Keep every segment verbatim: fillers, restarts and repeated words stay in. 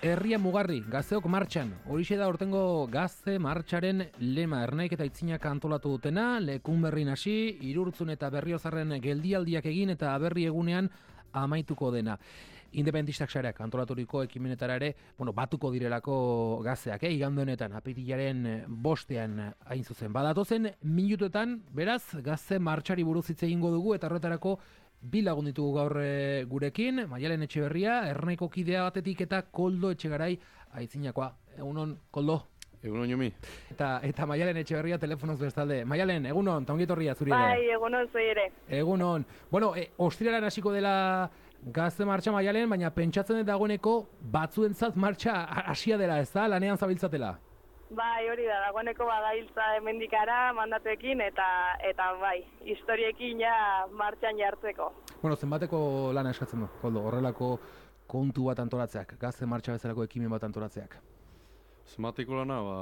Herria mugarri, gazteok martxan. Horixe da ortengo gazte martxaren lema. Ernaik eta Itzinak antolatu dutena, lekun berrin hasi, Irurtzun eta Berriozarren geldialdiak egin eta aberri egunean amaituko dena. Independentistak sareak antolaturiko ekimenetara ere, bueno, batuko direlako gazteak, eh? Igande honetan, apirilaren bostean hain zuzen. Badatozen minutuetan, beraz, gazte martxari buruz hitz egingo dugu eta horretarako bi lagun ditugu gaur e, gurekin, Maialen Etxeberria, Ernaiko kidea batetik eta Koldo Etxegarai Aitzinakoa. Egunon, Koldo. Egunon, Jomi. Eta, eta Maialen Etxeberria telefonoz bestalde. Maialen, egunon, eta ongietorria zuri ere. Bai, egunon zui ere. Egunon. Bueno, e, ostiraren hasiko dela gazte martxa Maialen, baina pentsatzen dut dagoeneko batzuentzat martxa hasia dela, ez da? Lanean zabiltzatela. Bai, hori da, dagoeneko badailtza hemendikara mandatuekin eta eta bai, historiekin ja martxan jartzeko. Bueno, zenbateko lana eskatzen du, Koldo, horrelako kontu bat antolatzeak, gazte martxa bezalako ekimen bat antolatzeak? Zenbateko lana, ba,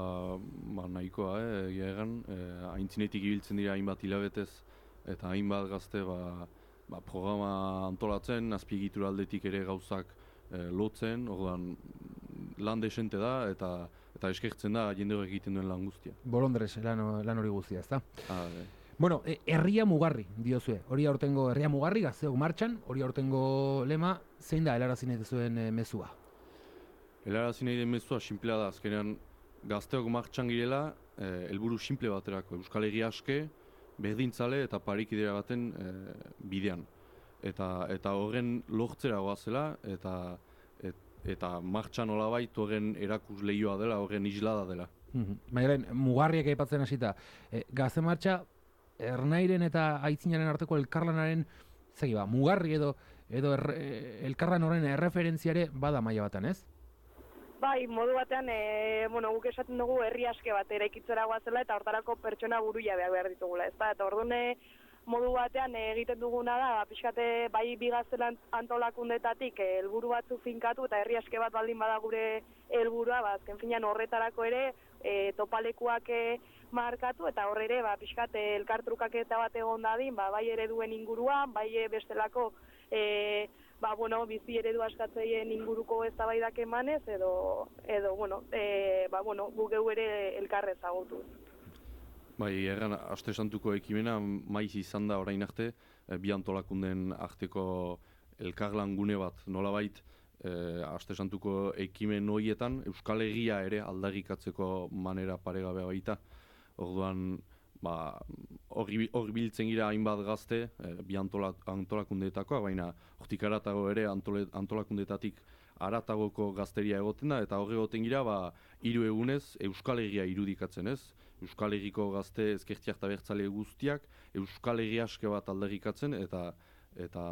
ba nahikoa, eh, egia egan, eh, aintzinetik ibiltzen dira hainbat hilabetez eta hainbat gazte ba, ba, programa antolatzen, azpiegitura aldetik ere gauzak eh, lotzen, orduan lan desente da eta eta eskertzen da jende horrek egiten duen lan guztia. Bolondres lan, lan hori guztia, ezta? Ah, e. Bueno, e, herria mugarri, diozue. Hori aurtengo herria mugarri, gazteok martxan, hori aurtengo lema, zein da helarazi nahi duzuen e, mezua? Helarazi nahi den mezua simplea da, azkenean gazteok martxan girela, eh, helburu simple baterako, Euskal Herria aske, berdintzale eta parikidera baten eh, bidean. Eta eta horren lortzera goazela, eta et, eta martxan olabait horren erakus lehioa dela, horren islada dela. Mm-hmm. Maialen, mugarriak aipatzen hasita, e, gazte martxa, Ernairen eta Aitzinaren arteko elkarlanaren, zegi ba, mugarri edo, edo er, elkarlan horren erreferentziare bada maila batan, ez? Bai, modu batean, e, bueno, guk esaten dugu herri aske bat eraikitzera goazela eta hortarako pertsona buruia behar ditugula, ezta? Eta ordune modu batean egiten duguna da, pixkate bai bigaztelan antolakundetatik helburu batzu finkatu eta herri aske bat baldin bada gure helburua, ba, azken finean horretarako ere e, topalekuak e, markatu eta horre ere ba, pixkate elkartrukaketa bat egon dadin, ba, bai ereduen inguruan, bai bestelako e, ba, bueno, bizi eredu askatzeien inguruko eztabaidak emanez edo, edo bueno, e, ba, bueno, gu geu ere elkarrez agutuz. Bai, erran, Aste Santuko ekimena maiz izan da orain arte, e, bi antolakunden arteko elkarlan gune bat, nolabait, e, Aste Santuko ekimen horietan Euskal Herria ere aldarrikatzeko manera paregabea baita. Orduan, ba, hori biltzen gira hainbat gazte, e, bi antola, antolakundeetakoa, baina hortik aratago ere antole, antolakundetatik aratagoko gazteria egoten da, eta horre egoten gira, ba, hiru egunez Euskal Herria irudikatzen ez. Euskal Herriko gazte ezkertiak eta bertzale guztiak Euskal Herria aske bat aldarrikatzen eta eta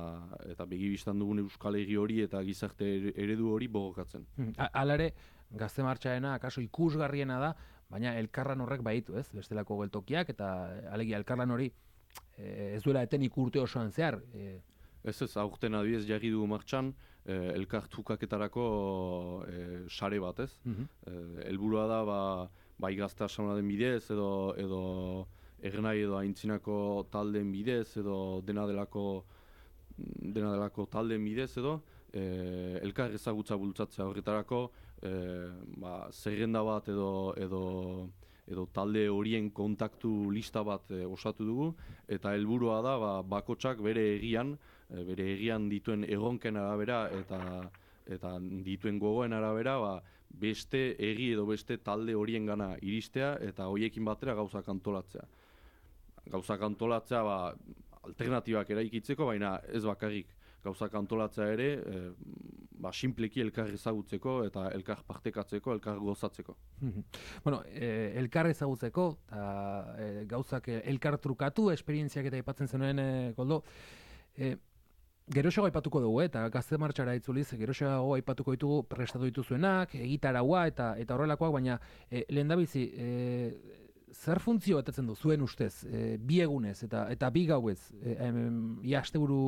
eta begibistan dugun Euskal Herri hori eta gizarte eredu hori borrokatzen. Hala ere, gazte martxaena akaso ikusgarriena da, baina elkarlan horrek baitu, ez? Bestelako geltokiak eta alegia elkarlan hori e, ez duela etenik urte osoan zehar. E... Ez ez, aurten adibidez jarri dugu martxan, eh, elkartrukaketarako eh, sare bat, ez? Mm-hmm. Helburua da, ba, bai gazte asamladen bidez, edo, edo Ernai edo Aintzinako taldeen bidez, edo dena delako, dena delako taldeen bidez, edo eh, elkar ezagutza bultzatzea horretarako, eh, ba, zerrenda bat edo, edo edo talde horien kontaktu lista bat e, osatu dugu, eta helburua da ba, bakotsak bere egian, e, bere egian dituen erronken arabera eta eta dituen gogoen arabera ba, beste egi edo beste talde horien gana iristea eta horiekin batera gauzak antolatzea. Gauzak antolatzea ba, alternatibak eraikitzeko, baina ez bakarrik. Gauzak antolatzea ere, e, ba, simpleki elkar ezagutzeko eta elkar partekatzeko, elkar gozatzeko. Bueno, e, elkar ezagutzeko, eta e, gauzak elkar trukatu, esperientziak eta aipatzen zenuen, e, Koldo, e, geroxago aipatuko dugu, eta gazte martxara itzuliz, geroxago aipatuko ditugu prestatu dituzuenak, egitaraua eta eta horrelakoak, baina e, lehendabizi, e, zer funtzio betetzen du zuen ustez, e, bi egunez eta eta bi gauez, e, ia asteburu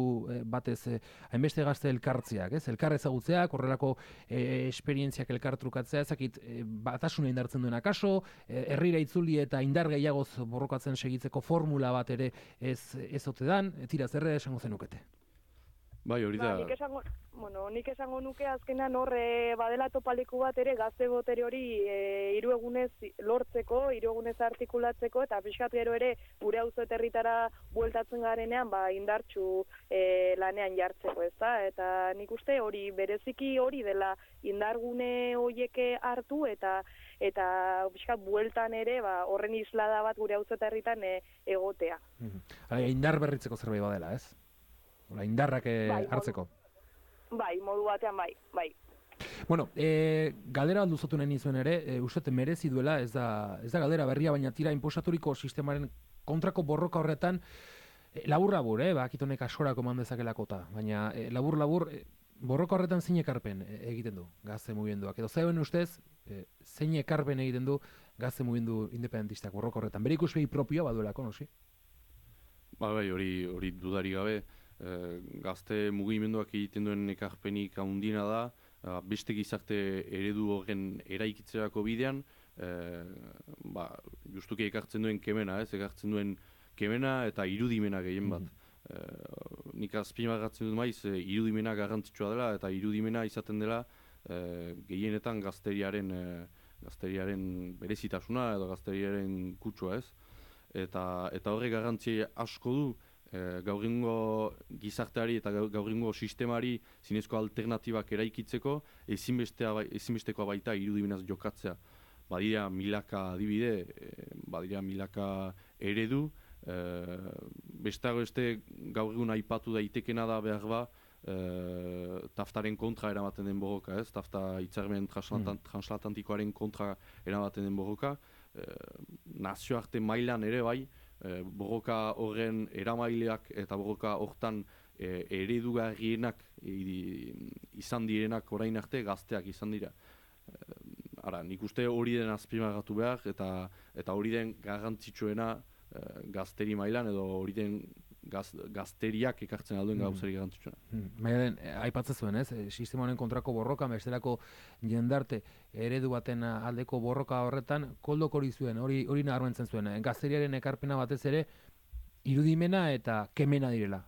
batez e, hainbeste gazte elkartziak, ez? Elkar ezagutzeak, horrelako e, esperientziak elkar trukatzea, ezakit e, batasuna indartzen duen akaso, e, herrira itzuli eta indar gehiagoz borrokatzen segitzeko formula bat ere ez ez ote dan, tira zerre esango zenukete. Bai, hori da. Ba, nik esango, bueno, nik esango nuke azkenan horre badela topaleku bat ere gazte botere hori e, hiru egunez lortzeko, hiru egunez artikulatzeko, eta pixkat gero ere gure auzo eta herritara bueltatzen garenean ba, indartsu e, lanean jartzeko, ezta? Eta nik uste hori bereziki hori dela indargune hoieke hartu eta eta pixkat bueltan ere ba, horren islada bat gure auzo eta herritan e, egotea. Mm-hmm. Indar berritzeko zerbait badela, ez? Ola, indarrak eh, bai, hartzeko. Modu, bai, modu batean bai, bai. Bueno, e, galdera alduzatu nahi nizuen ere, e, uste merezi duela, ez da, ez da galdera berria, baina tira inposaturiko sistemaren kontrako borroka horretan, e, labur-labur, eh, bakitonek asorako eman dezakelakota, baina e, labur-labur, e, borroka horretan zein ekarpen e, egiten du gazte mugimenduak, edo zeuen ustez, e, zein ekarpen egiten du gazte mugimendu independentistak borroka horretan, bere ikuspegi propioa baduelako, nosi? Ba, bai, hori, hori dudari gabe, E, gazte mugimenduak egiten duen ekarpenik handiena da, e, beste gizarte eredu horren eraikitzerako bidean, e, ba, justuki ekartzen duen kemena, ez, ekartzen duen kemena eta irudimena gehien bat. E, nik azpimarratzen dut maiz, e, irudimena garrantzitsua dela eta irudimena izaten dela e, gehienetan gazteriaren, e, gazteriaren berezitasuna edo gazteriaren kutsua, ez. Eta, eta horre garrantzi asko du, E, gaurrengo gizarteari eta gaurrengo sistemari zinezko alternatibak eraikitzeko ezinbestekoa baita irudimenaz jokatzea. Badira milaka adibide, e, badira milaka eredu, e, bestago este gaur egun aipatu daitekena da behar ba, e, taftaren kontra eramaten den borroka, ez? Tafta hitzarmen transatlantikoaren kontra eramaten den borroka, e, nazioarte mailan ere bai, E, borroka horren eramaileak eta borroka hortan e, eredugarrienak e, izan direnak orain arte gazteak izan dira. E, ara, nik uste hori den azpimarratu behar eta eta hori den garrantzitsuena e, gazteri mailan edo hori den gaz, gazteriak ekartzen alduen mm. gauzari garrantzitsuena. Mm. Baina den, aipatzen zuen, ez? Sistema honen kontrako borroka, bestelako jendarte eredu baten aldeko borroka horretan, koldok hori zuen, hori hori nabarmentzen zuen. Gazteriaren ekarpena batez ere, irudimena eta kemena direla.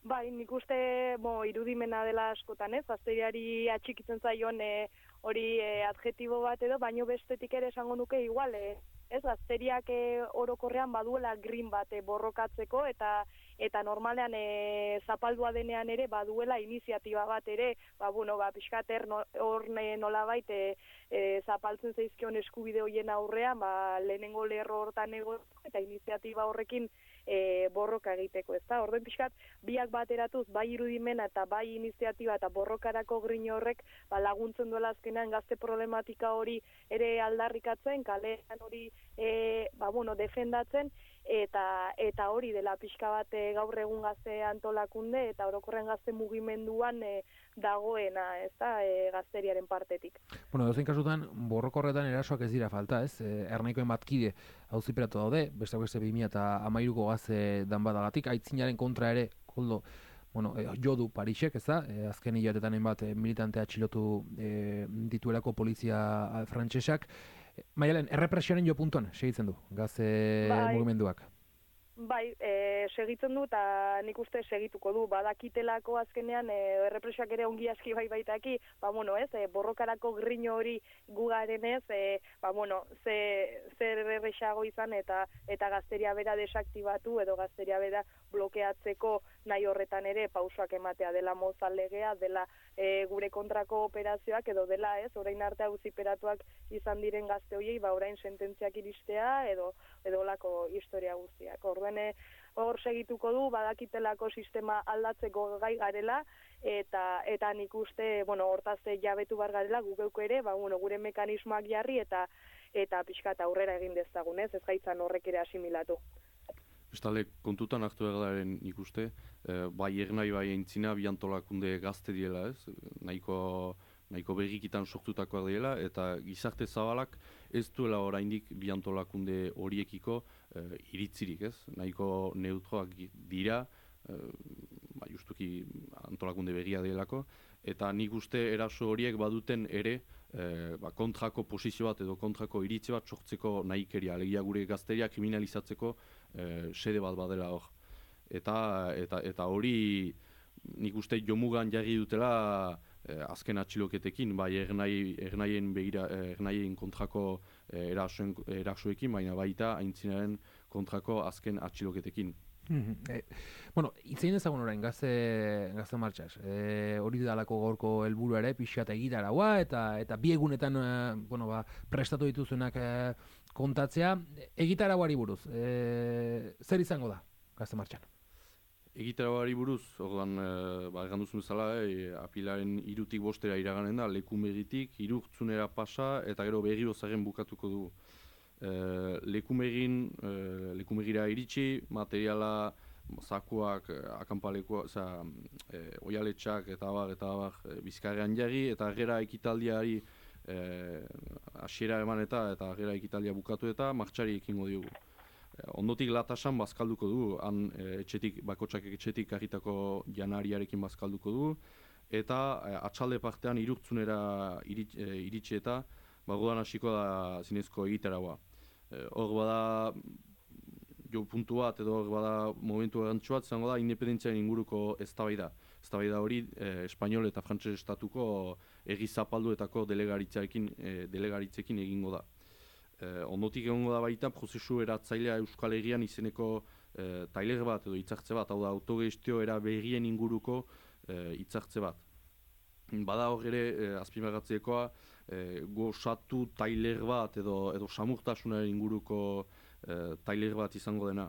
Bai, nik uste bo, irudimena dela askotan, ez? Gazteriari atxikitzen zaion e, hori e, adjetibo bat edo, baino bestetik ere esango nuke igual, e, ez, gazteriak e, orokorrean baduela green bat e, borrokatzeko eta eta normalean e, zapaldua denean ere baduela iniziatiba bat ere, ba bueno, ba pixkater hor no, nolabait e, e, zapaltzen zaizkion eskubide hoien aurrean, ba lehenengo lerro hortan ego eta iniziatiba horrekin e, borroka egiteko, ezta? Orduan pixkat biak bateratuz bai irudimena eta bai iniziatiba eta borrokarako grino horrek ba, laguntzen duela azkenean gazte problematika hori ere aldarrikatzen, kalean hori e, ba, bueno, defendatzen eta eta hori dela pixka bat e, gaur egun gazte antolakunde eta orokorren gazte mugimenduan e, dagoena, ezta, e, gazteriaren partetik. Bueno, dozein kasutan borrokorretan erasoak ez dira falta, ez? E, Ernaikoen batkide auziperatu daude, beste beste bi mila hamairuko gazte danbadagatik, aitzinaren kontra ere, koldo, bueno, e, jo du Parisek, ez da? E, azken hilabetetan hainbat e, militantea atxilotu e, dituelako polizia frantsesak. Maialen, errepresioaren jo puntuan segitzen du, gazte bai, mugimenduak? Bai, e, segitzen du eta nik uste segituko du. Badakitelako azkenean e, errepresioak ere ongi aski bai baitaki, ba bueno, ez, e, borrokarako grino hori gugaren ez, e, ba bueno, ze, zer errexago izan eta eta gazteria bera desaktibatu edo gazteria bera blokeatzeko nahi horretan ere pausoak ematea dela Mozal legea, dela e, gure kontrako operazioak edo dela ez, orain arte auziperatuak izan diren gazte horiei, ba orain sententziak iristea edo edo lako historia guztiak. Orduan hor segituko du, badakitelako sistema aldatzeko gai garela eta eta nik uste, bueno, hortaz jabetu bar garela guk ere, ba bueno, gure mekanismoak jarri eta eta pixkat aurrera egin dezagun, ez? Ez gaitzan horrek ere asimilatu. Bestalde, kontutan hartu egaren ikuste, eh, bai ernai bai aintzina bi antolakunde gazte diela, ez? Nahiko, nahiko berrikitan sortutakoak diela, eta gizarte zabalak ez duela oraindik bi antolakunde horiekiko eh, iritzirik, ez? Nahiko neutroak dira, eh, ba, justuki antolakunde berria dielako, eta nik uste eraso horiek baduten ere eh, ba, kontrako posizio bat edo kontrako iritzi bat sortzeko nahikeria, alegia gure gazteria kriminalizatzeko eh, sede bat badela hor. Eta eta eta hori nik uste jomugan jarri dutela eh, azken atxiloketekin, bai ernai, ernaien begira, ernaien kontrako eh, erasoen, erasoekin, baina baita aintzinaren kontrako azken atxiloketekin. e, bueno, itzein ezagun orain gazte, gazte martxas. E, hori dalako gorko helburu ere, pixat egitaragoa, eta eta bi egunetan e, bueno, ba, prestatu dituzunak e, kontatzea. Egitaragoari buruz, e, zer izango da gazte martxan? Egitaragoari buruz, orduan, e, ba, egan duzun bezala, e, apilaren irutik bostera iraganen da, lekumegitik, irurtzunera pasa, eta gero berri zaren bukatuko dugu. Uh, lekumegin, uh, lekumegira iritsi, materiala, zakuak, akampalekoa, oza, eh, oialetxak eta abar, eta abar, e, bizkarrean jarri, eta gera ekitaldiari hasiera eman eta eta gera ekitaldia bukatu eta martxari ekingo diogu. E, ondotik latasan bazkalduko dugu, han e, etxetik, bakotxak etxetik karritako janariarekin bazkalduko dugu, eta e, atxalde partean irurtzunera irit, e, iritsi eta bagodan hasiko da zinezko egitaragoa. Hor e, bada jo puntu bat edo hor bada momentu garrantzitsu bat izango da independentziaren inguruko eztabaida. Eztabaida hori e, espanol eta frantses estatuko egi zapalduetako delegaritzarekin e, delegaritzekin egingo da. E, ondotik egongo da baita prozesu eratzailea Euskal Herrian izeneko e, tailer bat edo hitzartze bat, hau da autogestio era berrien inguruko e, hitzartze bat. Bada hor ere e, azpimarratzekoa e, gozatu tailer bat edo edo samurtasunaren inguruko e, tailer bat izango dena.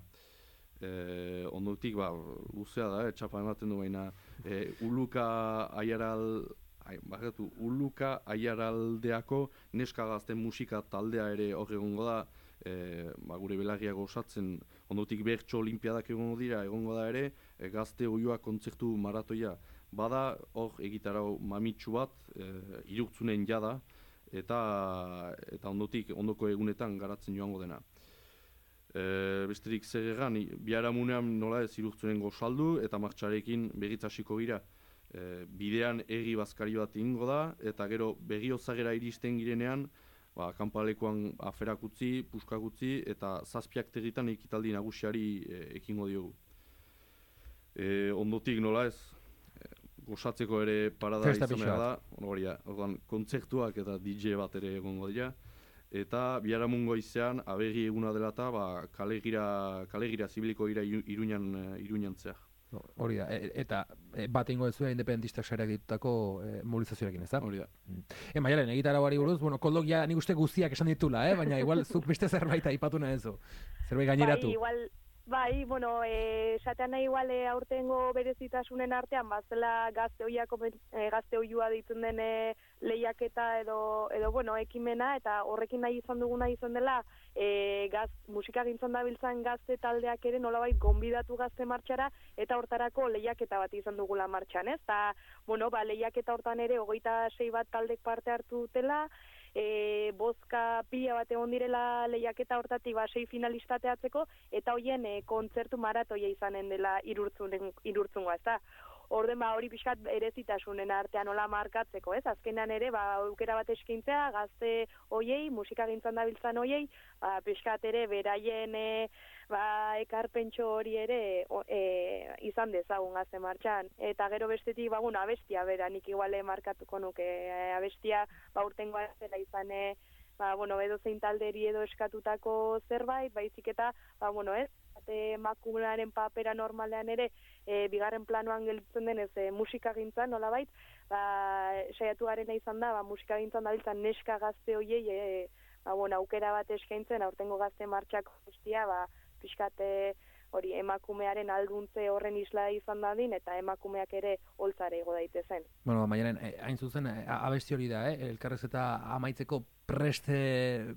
E, ondotik ba luzea da, eh, txapa ematen du baina e, Uluka Aiaral ai, barkatu, Uluka Aiaraldeako neska gazten musika taldea ere hor egongo da, e, ba, gure belarriak osatzen, ondotik bertso olimpiadak egongo dira, egongo da ere, e, gazte oioa kontzertu maratoia. Bada hor egitarau mamitsu bat, e, irurtzunen jada, eta, eta ondotik ondoko egunetan garatzen joango dena. E, besterik zer egan, biharamunean nola ez irurtzunen gozaldu eta martxarekin berriz hasiko gira. E, bidean egi bazkari bat ingo da, eta gero Berriozagera iristen girenean, ba, kanpalekoan aferak utzi, puskak utzi, eta zazpiak territan ekitaldi nagusiari e, ekingo diogu. E, ondotik nola ez, e, gozatzeko ere parada izan da, hori da, kontzertuak eta D J bat ere egongo dira, eta biharamungo izean aberri eguna dela eta ba, kalegira, kalegira zibiliko gira Iruñan, Iruñan zehar. Hori da, e, eta e, bat ingo duzu independentistak sareak ditutako e, mobilizazioarekin, ez da? Hori da. E, Maialen, egitaragoari buruz, bueno, koldok ja nik uste guztiak esan ditula, eh? Baina igual zuk beste zerbait aipatu nahi zu. Zerbait gaineratu. Bai, igual, bai, bueno, esatean nahi igual e, aurtengo berezitasunen artean, bazela gazte oiako, e, gazte oiua ditzen den e, lehiaketa edo, edo, bueno, ekimena, eta horrekin nahi izan duguna izan dela, E, gaz, musika gintzan dabiltzan gazte taldeak ere nolabait gonbidatu gazte martxara eta hortarako lehiaketa bat izan dugula martxan, ez? Ta, bueno, ba, lehiaketa hortan ere hogeita sei bat taldek parte hartu dutela, e, bozka pila bat egon direla lehiaketa hortatik ba, sei finalistateatzeko, eta hoien e, kontzertu maratoia izanen dela irurtzungoa, ez da? Orden ba hori pixkat berezitasunen artean nola markatzeko, ez? Azkenean ere ba aukera bat eskaintzea gazte hoiei, musikagintzan dabiltzan hoiei, ba pixkat ere beraien e, ba ekarpentxo hori ere o, e, izan dezagun gazte martxan. Eta gero bestetik ba bueno, abestia bera nik iguale markatuko nuke e, abestia ba urtengoa zela izan e, ba bueno, edo zein talderi edo eskatutako zerbait, baizik eta ba bueno, ez? Emakumearen papera normalean ere e, bigarren planoan gelditzen denez e, musikagintzan nolabait, ba saiatu garena izan da, ba musikagintzan dabiltzan neska gazte hoiei e, ba bueno, aukera bat eskaintzen aurtengo gazte martxak guztia, ba pixkat hori emakumearen alduntze horren isla izan dadin eta emakumeak ere holtzare igo daitezen. Bueno, Maialen, hain zuzen abesti hori da, eh? Elkarrez eta amaitzeko preste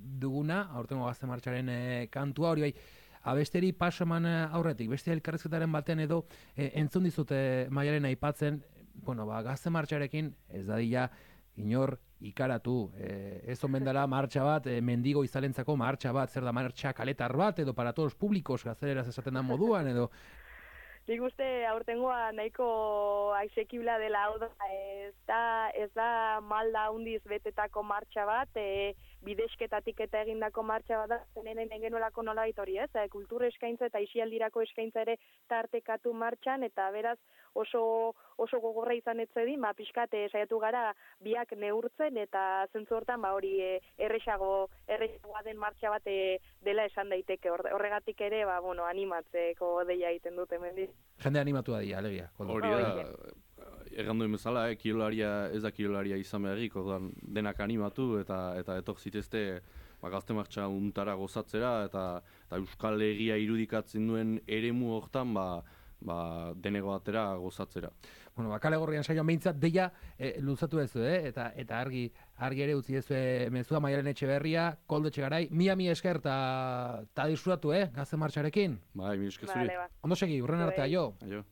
duguna, aurtengo gazte martxaren e, kantua hori bai. Abesteri pasaman aurretik, beste elkarrezketaren batean edo e, entzun dizute Maialen aipatzen, bueno, ba, gazte martxarekin ez dadila inor ikaratu, e, ez omen dela martxa bat, e, mendigo izalentzako martxa bat, zer da martxa kaletar bat, edo para todos públicos, gazteleraz esaten da moduan, edo... nik uste aurtengoa nahiko asekibla dela, hau da, ez da, ez da malda hundiz betetako martxa bat, e, bidezketatik eta egindako martxa bat da, zenenen genuelako nolabait hori, ez? E, kultur eskaintza eta isialdirako eskaintza ere tartekatu martxan, eta beraz oso oso gogorra izan etzedi, ma pixkat saiatu gara biak neurtzen, eta zentzu hortan ba hori e, erresago erresagoa den martxa bat e, dela esan daiteke. Horregatik ere ba bueno, animatzeko deia egiten dute hemendik. Jende animatua dira, alegia. Hori da, egan duen bezala, eh, kirolaria ez da kirolaria izan beharrik, orduan denak animatu eta eta etor zitezte ba, gazte martxa untara gozatzera, eta, eta Euskal Herria irudikatzen duen eremu hortan ba, ba, denego atera gozatzera. Bueno, ba, kale gorrian saioan behintzat, deia e, luzatu ezu, eh? eta, eta argi, argi ere utzi ezu mezua Maialen Etxeberria, Koldo Etxegarai, mia mi esker eta disfrutatu, eh? Gazte martxarekin. Bai, mi esker zuri. Vale, ba. Ondo segi, urren arte, aio. Aio.